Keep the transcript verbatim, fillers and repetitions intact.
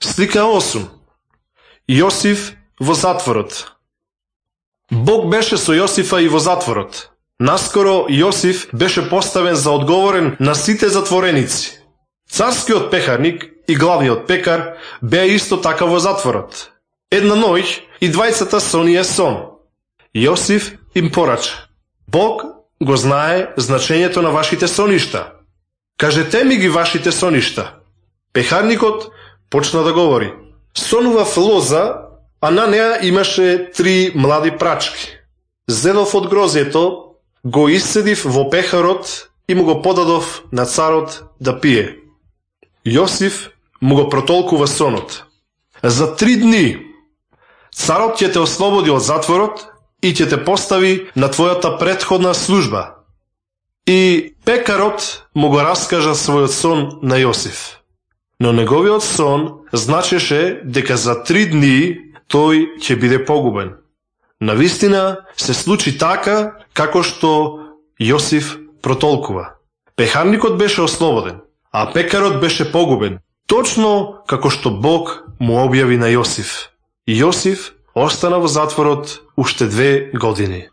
Слика осум. Јосиф во затворот. Бог беше со Јосифа и во затворот. Наскоро Јосиф беше поставен за одговорен на сите затвореници. Царскиот пехарник и главниот пекар беа исто така во затворот. Една ноќ и двајцата сонија сон. Јосиф им порача: Бог го знае значењето на вашите соништа. Кажете ми ги вашите соништа. Пехарникот почна да говори: сонував лоза, а на неа имаше три млади прачки. Зедов од грозјето, го исцедив во пехарот и му го подадов на царот да пие. Јосиф му го протолкува сонот: за три дни царот ќе те ослободи од затворот и ќе те постави на твојата претходна служба. И пекарот му го раскажа својот сон на Јосиф. Но неговиот сон значеше дека за три дни тој ќе биде погубен. Навистина се случи така како што Јосиф протолкува. Пехарникот беше ослободен, а пекарот беше погубен, точно како што Бог му објави на Јосиф. Јосиф остана во затворот уште две години.